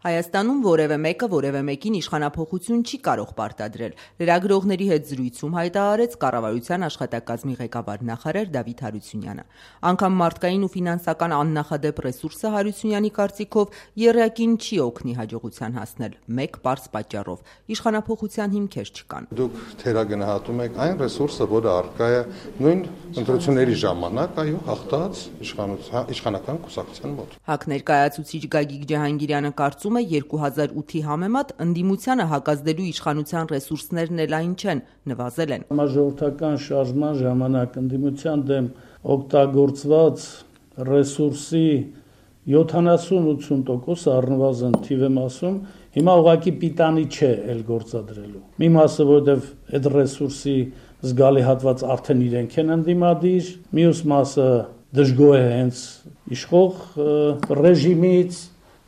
Հայաստանում որևէ մեկը որևէ մեկին իշխանափոխություն չի կարող պարտադրել։ Լրագրողների հետ զրույցում հայտարարեց կառավարության աշխատակազմի ղեկավար նախարար Դավիթ Հարությունյանը։ Անգամ մարդկային ու ֆինանսական աննախադեպ ռեսուրսը Հարությունյանի կարծիքով եռյակին չի օգնի հաջողության հասնել մեկ պարզ պատճառով՝ իշխանափոխության հիմքեր չկան։ Դուք թերագնահատում եք այն ռեսուրսը, որը առկա է նույն ընտրությունների ժամանակ, հաղթած իշխանական կուսակցության մոտ։ ՀԱԿ ներկայացուցիչ Գագիկ Ջահանգիրյանը կարծում է 2008-ի համեմատ ընդդիմությանը հակազդելու իշխանության ռեսուրսներն էլ այն չեն, նվազել են։ Համաժողովրդական շարժման ժամանակ ընդդիմության դեմ օգտագործված ռեսուրսի 70-80% առնվազն թիվ եմ ասում, հիմա ուղղակի պիտանի չէ էլ գործադրելու։ Մի մասը, որովհետև այդ ռեսուրսի զգալի հատված արդեն իրենք են ընդդիմադիր, մյուս մասը դժգոհ է հենց իշխող ռեժիմից,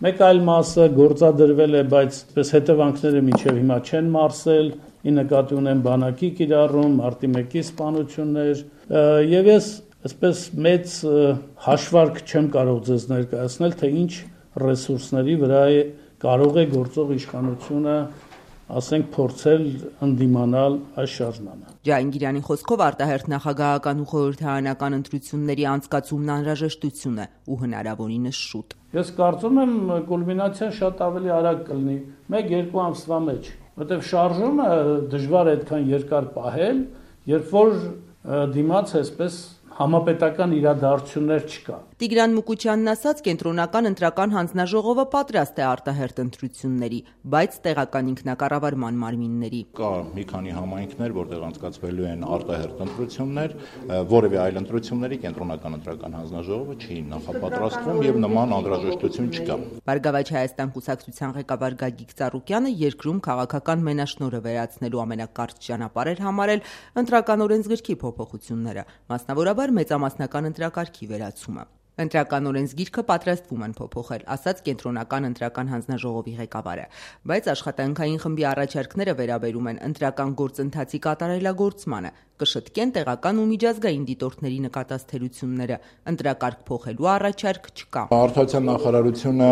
մեկ այլ մասը գործադրվել է, բայց հետևանքները մինչև հիմա չեն մարսել, ի նկատի ունեմ բանակի կիրառում, մարտի 1-ի սպանություններ, եւ ես այսպես մեծ հաշվարկ չեմ կարող ձեզ ներկայացնել, թե ինչ ռեսուրսների վրա կարող է գործող իշխանությունը ասենք փորձել ընդդիմանալ այս շարժմանը։ Ջահանգիրյանի խոսքով արտահերթ նախագահական ու խորհրդարանական ընտրությունների անցկացումն անհրաժեշտություն է ու հնարավորինս շուտ։ Ես կարծում եմ կուլմինացիան շատ ավելի արագ կլինի, 1-2 ամսվա մեջ, որտեղ շարժումը դժվար է այդքան երկար պահել, երբ որ դիմաց այսպես համապետական իրադարձություններ չկա։ Տիգրան Մուկուչյանն ասաց, կենտրոնական ընտրական հանձնաժողովը պատրաստ է արտահերթ ընտրությունների, բայց տեղական ինքնակառավարման մարմինների։ Կա մի քանի համայնքներ, որտեղ անցկացվելու են արտահերթ ընտրություններ, որևէ այլ ընտրությունների կենտրոնական ընտրական հանձնաժողովը չի նախապատրաստվում եւ նման անհրաժեշտություն չկա։ Բարգավաճ Հայաստան կուսակցության ղեկավար Գագիկ Ծառուկյանը երկրում քաղաքական մենաշնորհը վերացնելու ամենակարճ ճանապարհ համարել ընտրական օրենսգրքի փոփոխությունները, մասնավորաբար մեծամասնական ընտրակարգի վերացումը։ Ընտրական օրենսգիրքը պատրաստվում են փոփոխել, ասաց կենտրոնական ընտրական հանձնաժողովի ղեկավարը, բայց աշխատանքային խմբի առաջարկները վերաբերում են ընտրական գործընթացի կատարելագործմանը, կշտկեն տեղական ու միջազգային դիտորդների նկատած թերությունները, ընտրակարգ փոխելու առաջարկ չկա։ Արդարության նախարարությունը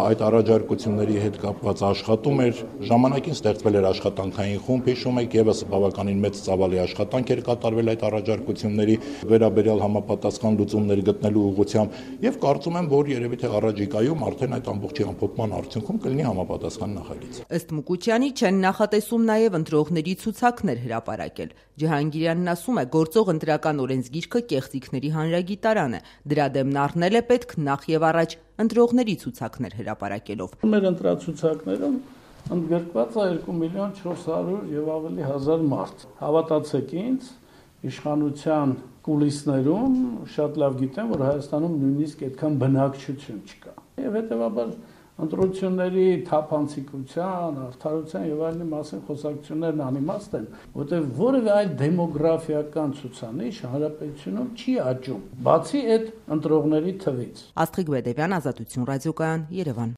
այդ առաջարկությունների հետ կապված աշխատում էր, ժամանակին ստեղծվել էր աշխատանքային խումբ, հիշում եք, եւս բավականին մեծ ծավալի աշխատանք էր կատարվել այդ առաջարկությունների վերաբերյալ համապատասխան լուծումներ գտնելու ուղղությամբ եւ կարծում եմ, որ երևի թե առաջիկայում արդեն այդ ամբողջի ամփոփման արդյունքում կլինի համապատասխան նախագիծ։ Ըստ Մուկուչյանի չեն նախատեսում նաեւ ընտրողների ցուցակներ հրապարակել։ Ջահանգիրյանն ասում է, գործող ընտրական օրենսգիրքը կեղծիքների հանրագիտարան է, դրա դեմն առնել է պետք նախ եւ առաջ ընտրողների ցուցակներ հրապարակելով։ Մեր ընտրացուցակներում ընդգրկված է 2.400.000 եւ ավելի հազար մարդ։ Հավատացեք ինձ, իշխանության կուլիսներում շատ լավ գիտեմ, որ Հայաստանում նույնիսկ այդքան բնակչություն չկա։ Եվ հետեւաբար ընտրությունների թափանցիկության, արդարության եւ այլնի մասին խոսակցություններն անիմաստ են, որտեղ որևէ այլ դեմոգրաֆիական ցուցանիշ հանրապետությունում չի աճում, բացի այդ ընտրողների թվից։ Աստղիկ Բեդևյան, Ազատություն ռադիոկայան, Երևան։